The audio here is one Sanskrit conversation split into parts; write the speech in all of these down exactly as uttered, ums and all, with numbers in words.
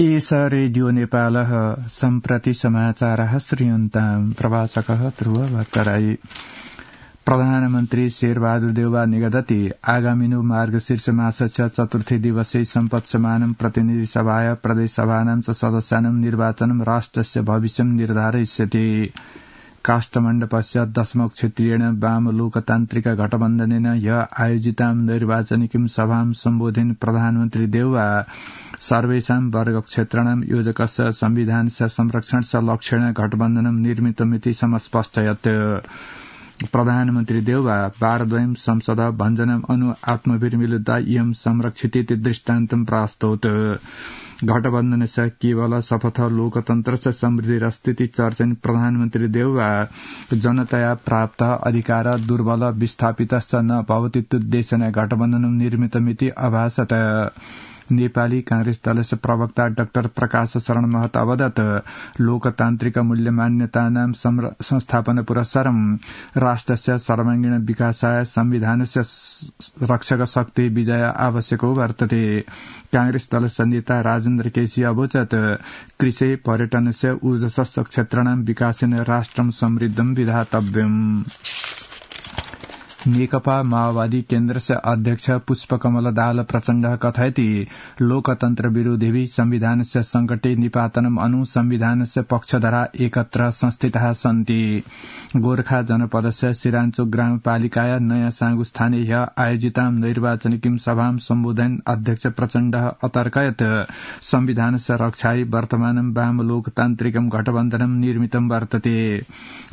एष रेडियो नेपालः सम्प्रति समाचारः श्रूयन्ताम् प्रवाचकः ध्रुव भट्टराई। प्रधानमन्त्री शेरबहादुर देउवा निगदति आगामिनु मार्गशीर्ष मासस्य चतुर्थी दिवसे सम्पत्समानं प्रतिनिधि सभाय प्रदेश सभानां च सदस्यानां निर्वाचनं राष्ट्रस्य भविष्यं निर्धारयिष्यति। काष्ठमण्डपस्य दशमः क्षेत्रीयेण वाम लोकतान्त्रिक गठबन्धनेन ह्य आयोजितां निर्वाचनिकीं सभां सम्बोधयन् प्रधानमन्त्री देउवा सर्वेषां वर्गक्षेत्राणां योजकस्य संविधानस्य संरक्षणस्य लक्ष्येण गठबन्धनं निर्मितमिति समस्पष्टयत्। प्रधानमन्त्री देउवा वारद्वयं संसद भञ्जनम् अनु आत्मभिर्मिलिता इयं संरक्षितीति दृष्टान्तं प्रास्तौत्। गठबन्धनस्य केवल शपथ लोकतन्त्रस्य समृद्धिरस्तीति चर्चयन् प्रधानमन्त्री देउवा जनतया प्राप्त अधिकार दुर्बल विस्थापितश्च न भवतीत्युद्देशेन गठबन्धनं निर्मितमिति अभासत। नेपाली कांग्रेस दलस्य प्रवक्ता डाक्टर प्रकाश शरण महत अवदत् लोकतान्त्रिक मूल्य मान्यतानां संस्थापन पुरस्सरं राष्ट्रस्य सर्वांगीण विकासाय संविधानस्य रक्षक शक्ति विजय आवश्यको वर्तते। कांग्रेस दलस्य नेता राजेन्द्र केसी अवोचत् कृषि पर्यटनस्य ऊर्जस्व क्षेत्राणां विकासेन राष्ट्रं समृद्धं विधातव्यम्। नेकपा माओवादी केन्द्रस्य अध्यक्ष पुष्पकमल दाहाल प्रचण्डः कथयति लोकतन्त्र विरोधिभिः संविधानस्य संकटे निपातनम् अनु संविधानस्य पक्षधरा एकत्र संस्थिताः सन्ति। गोर्खा जनपदस्य सिराञ्चोक ग्रामपालिकाया नयाँ साङ्गु स्थाने ह्य आयोजितां निर्वाचनिकीं सभां सम्बोधयन् अध्यक्ष प्रचण्डः अतर्कयत् संविधानस्य रक्षायै वर्तमानं वाम लोकतान्त्रिकं गठबन्धनं निर्मितं वर्तते।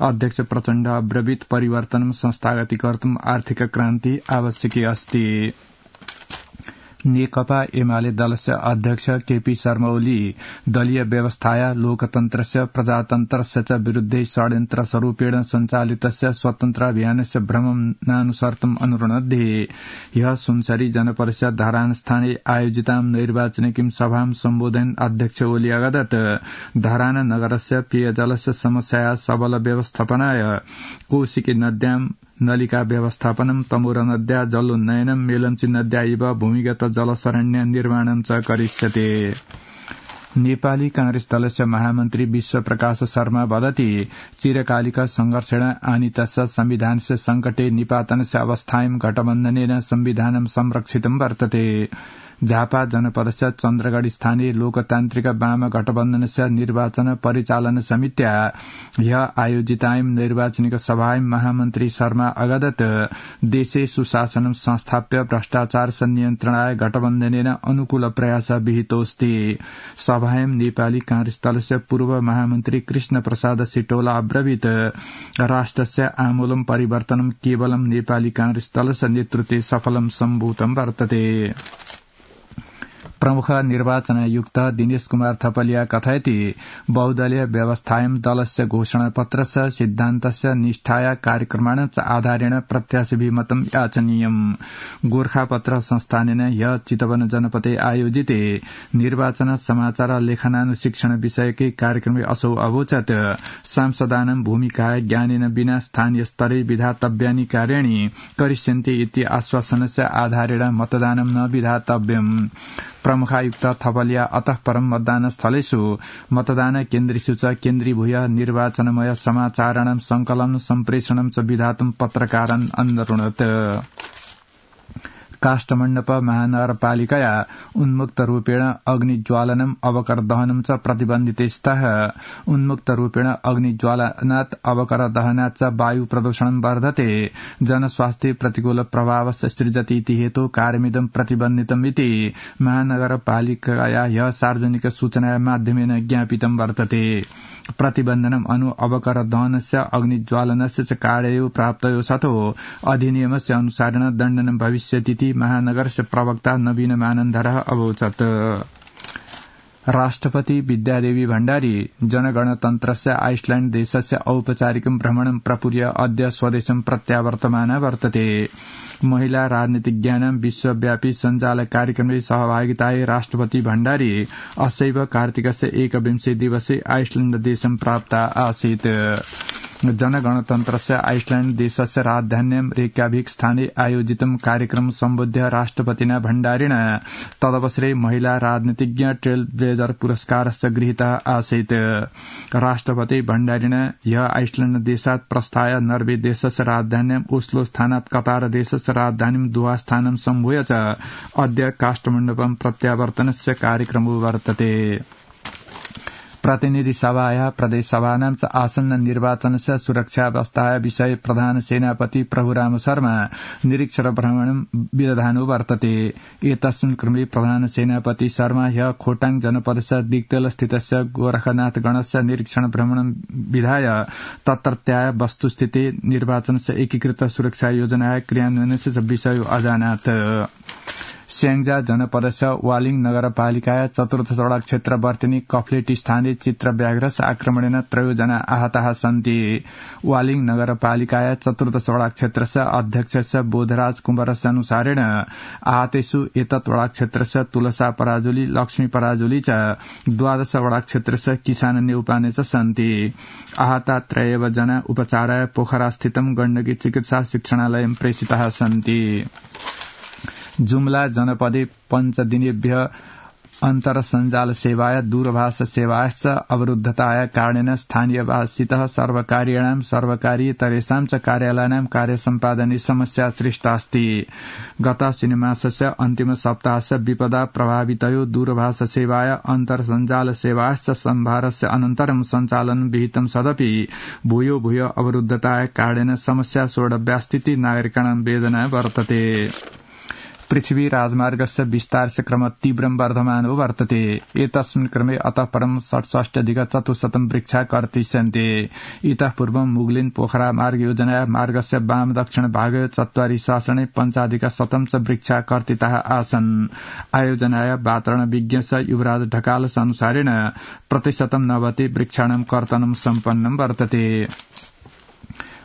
अध्यक्ष प्रचण्ड अब्रवीत् परिवर्तनं संस्थागतीकर्तुम् आर्थिक क्रान्ति आवश्यकी अस्ति। नेकपा एमाले दलस्य अध्यक्ष केपी शर्मा ओली दलीय व्यवस्थाया लोकतन्त्रस्य प्रजातन्त्रस्य च विरुद्धे षड्यन्त्र स्वरूपेण सञ्चालितस्य स्वतन्त्राभियानस्य भ्रमणानुसर्तम् अनुरुणद्धे ह्यः सुनसरी जनपदस्य धरानस्थाने आयोजितां निर्वाचनिकीं सभां सम्बोधयन् अध्यक्ष ओली अगदत् धरान नगरस्य पेयजलस्य समस्याया सबल व्यवस्थापनाय कोशिकी नद्यां नलिका व्यवस्थापनं तमोर नद्या जलोन्नयनं मेलम्ची नद्या इव भूमिगत जलसरण्य निर्माणं च करिष्यते। नेपाली कांग्रेस दलस्य महामन्त्री विश्व प्रकाश शर्मा वदति चिरकालिक संघर्षेण आनीतस्य संविधानस्य संकटे निपातनस्य अवस्थायां गठबन्धनेन संविधानं संरक्षितं वर्तते। झापा जनपदस्य चन्द्रगढ़ स्थानीय लोकतान्त्रिक वाम गठबन्धनस्य निर्वाचन परिचालन समित्या ह्य आयोजितां निर्वाचनिक सभायां महामन्त्री शर्मा अगदत् देशे सुशासनं संस्थाप्य भ्रष्टाचार नियन्त्रणाय गठबन्धनेन अनुकूल प्रयास विहितोऽस्ति। सभायां नेपाली कांग्रेस दलस्य पूर्व महामन्त्री कृष्ण प्रसाद सिटौला अब्रवीत् राष्ट्रस्य आमूलं परिवर्तनं केवलं नेपाली कांग्रेस दलस्य नेतृत्वे सफलं सम्भूतं वर्तते। प्रमुख निर्वाचन आयुक्त दिनेश कुमार थपलिया कथयति बहुदलीय व्यवस्थायां दलस्य घोषणापत्रस्य सिद्धान्तस्य निष्ठाया कार्यक्रमाण च आधारेण प्रत्याशिभिमतं याचनीयम्। गोर्खापत्र संस्थानेन ह्य चितवन जनपदे आयोजिते निर्वाचन समाचार लेखनानुशिक्षण विषयकै कार्यक्रमे असौ अवोचत् सांसदानां भूमिकाय ज्ञानेन विना स्थानीय स्तरे विधातव्यानि कार्याणि करिष्यन्ते इति आश्वासनस्य आधारेण मतदानं न विधातव्यम्। प्रमुखायुक्त थपलिया अतः परं मतदानस्थलेषु मतदान केन्द्रेषु च केन्द्रीभूय निर्वाचनमय समाचाराणां संकलनं सम्प्रेषणं च विधातुं पत्रकारान् अनुरुणत्। काष्ठमण्डप महानगरपालिकया उन्मुक्त रूपेण अग्निज्वालनम् अवकर दहनं च प्रतिबन्धिते स्तः। उन्मुक्त रूपेण अग्निज्वालनात् अवकर दहनात् च वायु प्रदूषणं वर्धते जनस्वास्थ्ये प्रतिकूल प्रभावस्य सृजति इति हेतु कार्यमिदं प्रतिबन्धितमिति महानगरपालिकया ह्यः सार्वजनिक सूचना माध्यमेन ज्ञापितं वर्तते। प्रतिबन्धनम् अनु अवकर दहनस्य अग्निज्वालनस्य च कार्ययो प्राप्तयो सतो अधिनियमस्य अनुसारेण दण्डनं भविष्यतीति महानगरस्य प्रवक्ता नवीन मानन्धरः अवोचत्। राष्ट्रपति विद्यादेवी भण्डारी जनगणतन्त्रस्य आइसल्याण्ड देशस्य औपचारिकं भ्रमणं प्रपूर्य अद्य स्वदेशं प्रत्यावर्तमाना वर्तते। महिला राजनीतिज्ञानां विश्वव्यापी सञ्जाल कार्यक्रमे सहभागितायै राष्ट्रपति भण्डारी अस्यैव कार्तिकस्य एकविंशे दिवसे आइसल्याण्ड देशं प्राप्ता आसीत्। जनगणतन्त्रस्य आइसल्याण्ड देशस्य राजधान्यां रेक्याविक स्थाने आयोजितं कार्यक्रम सम्बोध्य राष्ट्रपतिना भण्डारिणा तदवसरे महिला राजनीतिज्ञ ट्रेल ब्लेजर पुरस्कारस्य गृहीतः आसीत्। राष्ट्रपति भण्डारिणा ह्य आइसल्याण्ड देशात् प्रस्थाय नर्वे देशस्य राजधान्यां ओस्लो स्थानात् कतार देशस्य राजधानीं दोहा स्थानं सम्भूय च अद्य काष्ठमण्डपं प्रत्यावर्तनस्य कार्यक्रमो वर्तते। प्रतिनिधि सभाया प्रदेशसभानां च आसन्न निर्वाचनस्य सुरक्षावस्थाया विषये प्रधान सेनापति प्रभुराम शर्मा निरीक्षण भ्रमणं विदधानो वर्तते। एतस्मिन् क्रमे प्रधान सेनापति शर्मा ह्य खोटाङ जनपदस्य दिग्दल स्थितस्य गोरखनाथगणस्य निरीक्षण भ्रमणं विधाय तत्रत्याः वस्तुस्थिते निर्वाचनस्य एकीकृत सुरक्षा योजनाया क्रियान्वयनस्य विषयो अजानात्। स्याङ्जा जनपदस्य वालिङ नगरपालिकाया चतुर्थ सड़क क्षेत्र वर्तिनी कफ्लेटी स्थानीय चित्र व्याघ्रस्य आक्रमणेन त्रयोजना आहताः सन्ति। वालिङ नगरपालिकाया चतुर्थ सड़क क्षेत्रस्य अध्यक्षस्य बोधराज कुमारस्य अनुसारेण आहतेषु एतत् वडाक क्षेत्रस्य तुलसा पराजुली लक्ष्मी पराजुली च द्वादश वडाक क्षेत्रस्य किसान नेउपाने च सन्ति। आहता त्रयेव जना उपचाराय पोखरा स्थितं गण्डकी चिकित्सा शिक्षणालयं प्रेषिताः सन्ति। जुम्ला जनपदे पञ्चदिनेभ्य अन्तर्सञ्जाल सेवाय दूरभाष सेवाश्च अवरुद्धताया कारणेन स्थानीयवासितः सर्वकारीणां सर्वकारीयतरेषां च कार्यालयानां कार्यसम्पादने समस्या सृष्टास्ति। गत शनिमासस्य अन्तिम सप्ताहस्य विपदा प्रभावितयो दूरभाष सेवाय अन्तर्सञ्जाल सेवाश्च सम्भारस्य अनन्तरं सञ्चालनं विहितं सदपि भूयो भूयो अवरुद्धताया कारणेन समस्या सोढव्यास्तीति नागरिकाणां वेदना वर्तते। पृथ्वी राजमार्गस्य विस्तारस्य क्रम तीव्रं वर्धमानो वर्तते। एतस्मिन् क्रमे अतः परं षट्षष्ट्यधिक चतुश्शतं वृक्षा कर्तिष्यन्ते। इतः पूर्वं मुगलिन पोखरा मार्ग योजनाया मार्गस्य वाम दक्षिण भागे चत्वारि शासने पञ्चाधिक शतं च वृक्षा कर्तिताः आसन्। आयोजनाया वातावरण विज्ञ युवराज ढकालस अनुसारेण प्रतिशतं नवति वृक्षाणां कर्तनं सम्पन्नं वर्तते।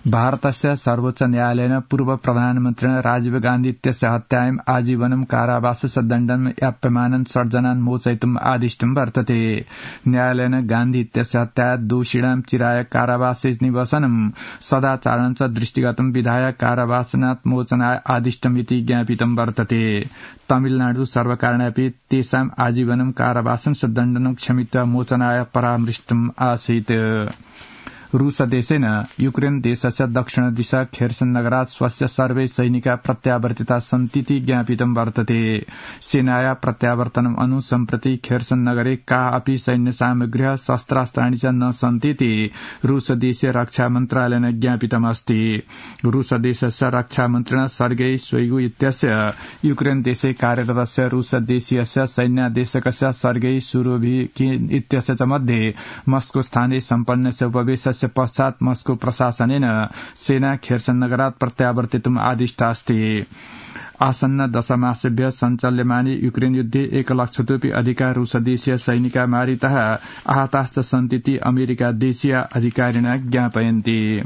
भारतस्य सर्वोच्च न्यायालयेन पूर्व प्रधानमन्त्रिणा राजीव गान्धी इत्यस्य हत्यायाम् आजीवनं कारावासस्य दण्डनं याप्यमानं षड्जनान् मोचयितुम् आदिष्टं वर्तते। न्यायालयेन गान्धी इत्यस्य हत्याया दोषिणां चिराय कारावासे निवसनं सदाचारणं च दृष्टिगतं विधाय कारावासनात् मोचनाय आदिष्टमिति ज्ञापितं वर्तते। तमिलनाडु सर्वकारेणापि तेषाम् आजीवनं कारावासस्य दण्डनं क्षमित्वा मोचनाय परामृष्टम् आसीत्। रूस देशेन युक्रेन देशस्य दक्षिण दिशा खेर्सन नगरात् स्वस्य सर्वे सैनिका प्रत्यावर्तिता सन्तीति ज्ञापितं वर्तते। सेनाया प्रत्यावर्तनम् अनु सम्प्रति खेर्सन नगरे का अपि सैन्य सामग्र्यः शस्त्रास्त्राणि च न सन्तीति रूस देशीय रक्षा मन्त्रालयेन ज्ञापितमस्ति। रूस देशस्य रक्षा मन्त्रिणा सर्गेई शोइगु इत्यस्य युक्रेन देशे कार्यरतस्य रूस देशीयस्य सैन्यादेशकस्य सर्गेई सुरोभिकिन इत्यस्य च मध्ये मस्को स्थाने सम्पन्नस्य उपवेशस्य पश्चात् मस्को प्रशासनेन सेना खेर्सन नगरात् प्रत्यावर्तितुम् आदिष्टास्ति। आसन्न दशमासेभ्य सञ्चाल्यमाने युक्रेन युद्धे एक लक्षतोपि अधिका रूसदेशीय सैनिका मारिताः आहताश्च सन्तीति अमेरिका देशीय अधिकारिणा ज्ञापयन्ति।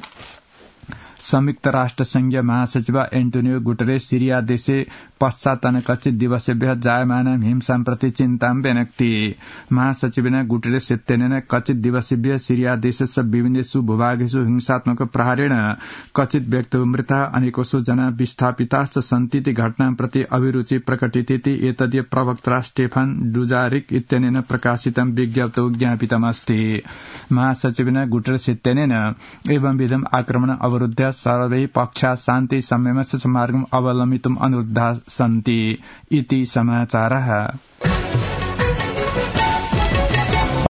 संयुक्त राष्ट्र संघीय महासचिव एन्टोनियो गुटेरेस सिरिया देशे पश्चातन कचित दिवसेभ्यः जायमानं हिंसां प्रति चिन्तां व्यनक्ति। महासचिवेन गुटेरेस इत्यनेन कचित दिवसेभ्यः सिरिया देशस्य विभिन्नेषु भूभागेषु हिंसात्मक प्रहारेण कचित व्यक्तयो मृताः अनेकशो जना विस्थापिताश्च सन्तीति घटनां प्रति अभिरुचि प्रकटितेति एतदीय प्रवक्ता स्टेफान डुजारिक इत्यनेन प्रकाशितं विज्ञप्तौ ज्ञापितमस्ति। महासचिवेन गुटेरेस इत्यनेन एवंविधम् आक्रमण अवरुद्ध्य सर्वे पक्षा शान्ति संयमस्य मार्गम् अवलम्बितुम् अनुरोधाः सन्ति इति समाचारः।